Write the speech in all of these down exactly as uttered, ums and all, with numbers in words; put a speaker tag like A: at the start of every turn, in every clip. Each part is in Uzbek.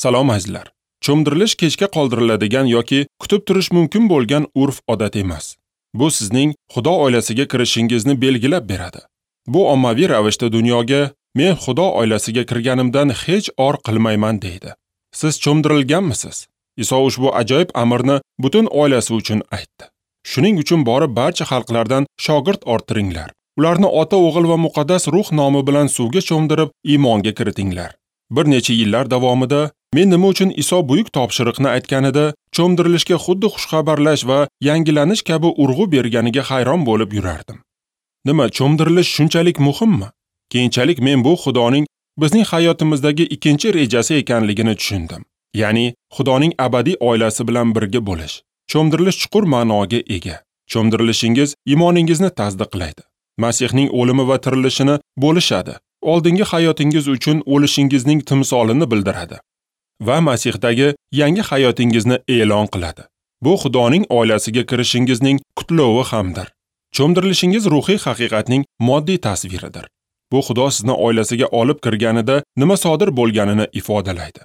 A: Salom azizlar. Cho'mdirilish kechga qoldiriladigan yoki kutib turish mumkin bo'lgan urf-odat emas. Bu sizning Xudo oilasiga kirishingizni belgilab beradi. Bu ommaviy ravishda dunyoga men Xudo oilasiga kirganimdan hech or qilmayman deydi. Siz cho'mdirilganmisiz? Iso ushbu ajoyib amrni butun oilasi uchun aytdi. Shuning uchun borib barcha xalqlardan shogird orttiringlar. Ularni Ota, O'g'il va Muqaddas Ruh nomi bilan suvga cho'mdirib iymonga kiritinglar. Bir necha yillar davomida men nima uchun Iso buyuk topshiriqni aytganida cho'mdirilishga xuddi xushxabarlash va yangilanish kabi urg'u berganiga hayron bo'lib yurardim. Nima, cho'mdirilish shunchalik muhimmi? Keyinchalik men bu Xudoning bizning hayotimizdagi ikkinchi rejasi ekanligini tushundim. Ya'ni Xudoning abadiy oilasi bilan birga bo'lish. Cho'mdirilish chuqur ma'noga ega. Cho'mdirilishingiz iymoningizni tasdiqlaydi. Masihning o'limi va tirilishini bo'lishadi. Oldingi hayotingiz uchun o'lishingizning timsolini bildiradi va Masihdagi yangi hayotingizni e'lon qiladi. Bu Xudoning oilasiga kirishingizning qutlovi hamdir. Cho'mdirilishingiz ruhiy haqiqatning moddiy tasviridir. Bu Xudo sizni oilasiga olib kirganida nima sodir bo'lganini ifodalaydi.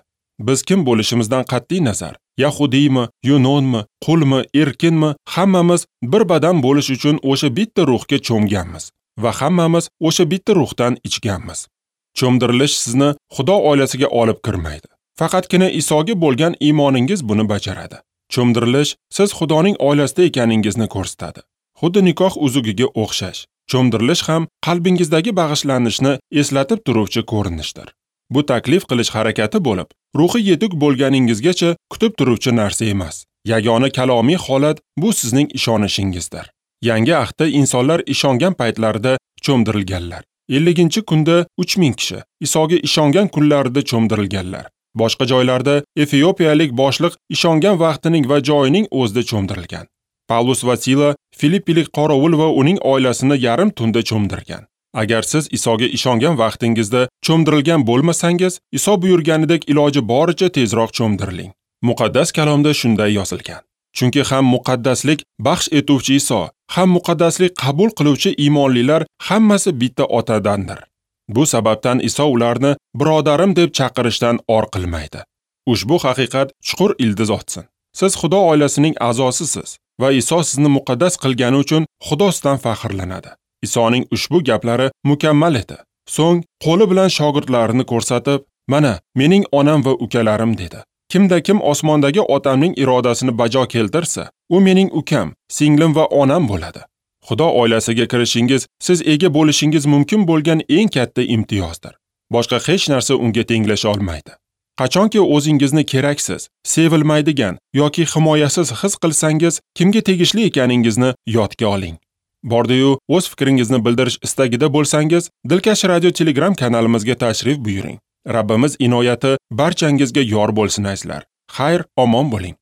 A: Biz kim bo'lishimizdan qat'iy nazar, yahudiymi, yunonmi, qulmi, erkinmi, hammamiz bir badan bo'lish uchun o'sha bitta ruhga cho'mganmiz va hammamiz o'sha bitta ruhdan ichganmiz. Cho'mdirilish sizni Xudo oilasiga olib kirmaydi. Faqatgina Isoga bo'lgan iymoningiz buni bajaradi. Cho'mdirilish siz Xudoning oilasida ekaningizni ko'rsatadi. Xuddi nikoh uzugiga o'xshash. Cho'mdirilish ham qalbingizdagi bag'ishlanishni eslatib turuvchi ko'rinishdir. Bu taklif qilish harakati bo'lib, ruhiy yetuk bo'lganingizgacha kutib turuvchi narsa emas. Yagona kalomiy holat bu sizning ishonishingizdir. Yangi ahdda insonlar ishongan paytlarida cho'mdirilganlar. elliginchi kunda uch ming kishi Isoga ishongan kunlarida cho'mdirilganlar. Boshqa joylarda efiopiyalik boshliq ishongan vaqtining va joyining o'zida cho'mdirilgan. Pavlus va Sila Filippilik qorovul va uning oilasini yarim tunda cho'mdirgan. Agar siz Isoga ishongan vaqtingizda cho'mdirilgan bo'lmasangiz, Iso buyurganidek iloji boricha tezroq cho'mdiriling. Muqaddas kalomda shunday yozilgan. Chunki ham muqaddaslik baxsh etuvchi Iso, ham muqaddaslik qabul qiluvchi iymonlilar hammasi bitta otadandir. Bu sababdan Iso ularni birodarim deb chaqirishdan or qilmaydi. Ushbu haqiqat chuqur ildiz otsin. Siz Xudo oilasining a'zosisiz va Iso sizni muqaddas qilgani uchun Xudo sizdan faxrlanadi. Isoning ushbu gaplari mukammal edi. So'ng qo'li bilan shogirdlarini ko'rsatib, "Mana mening onam va ukalarim" dedi. Kimda kim osmondagi otamning irodasini bajo keltirsa, u mening ukam, singlim va onam bo'ladi. Xudo oilasiga kirishingiz siz ega bo'lishingiz mumkin bo'lgan eng katta imtiyozdir. Boshqa hech narsa unga tenglasha olmaydi. Qachonki o'zingizni keraksiz, sevilmaydigan yoki himoyasiz his qilsangiz, kimga tegishli ekaningizni yodga oling. Bordi-yu o'z fikringizni bildirish istagida bo'lsangiz, Dilkash Radio Telegram kanalimizga tashrif buyuring. Rabbimiz inoyati barchangizga yor bo'lsin azizlar. Xayr, omon bo'ling.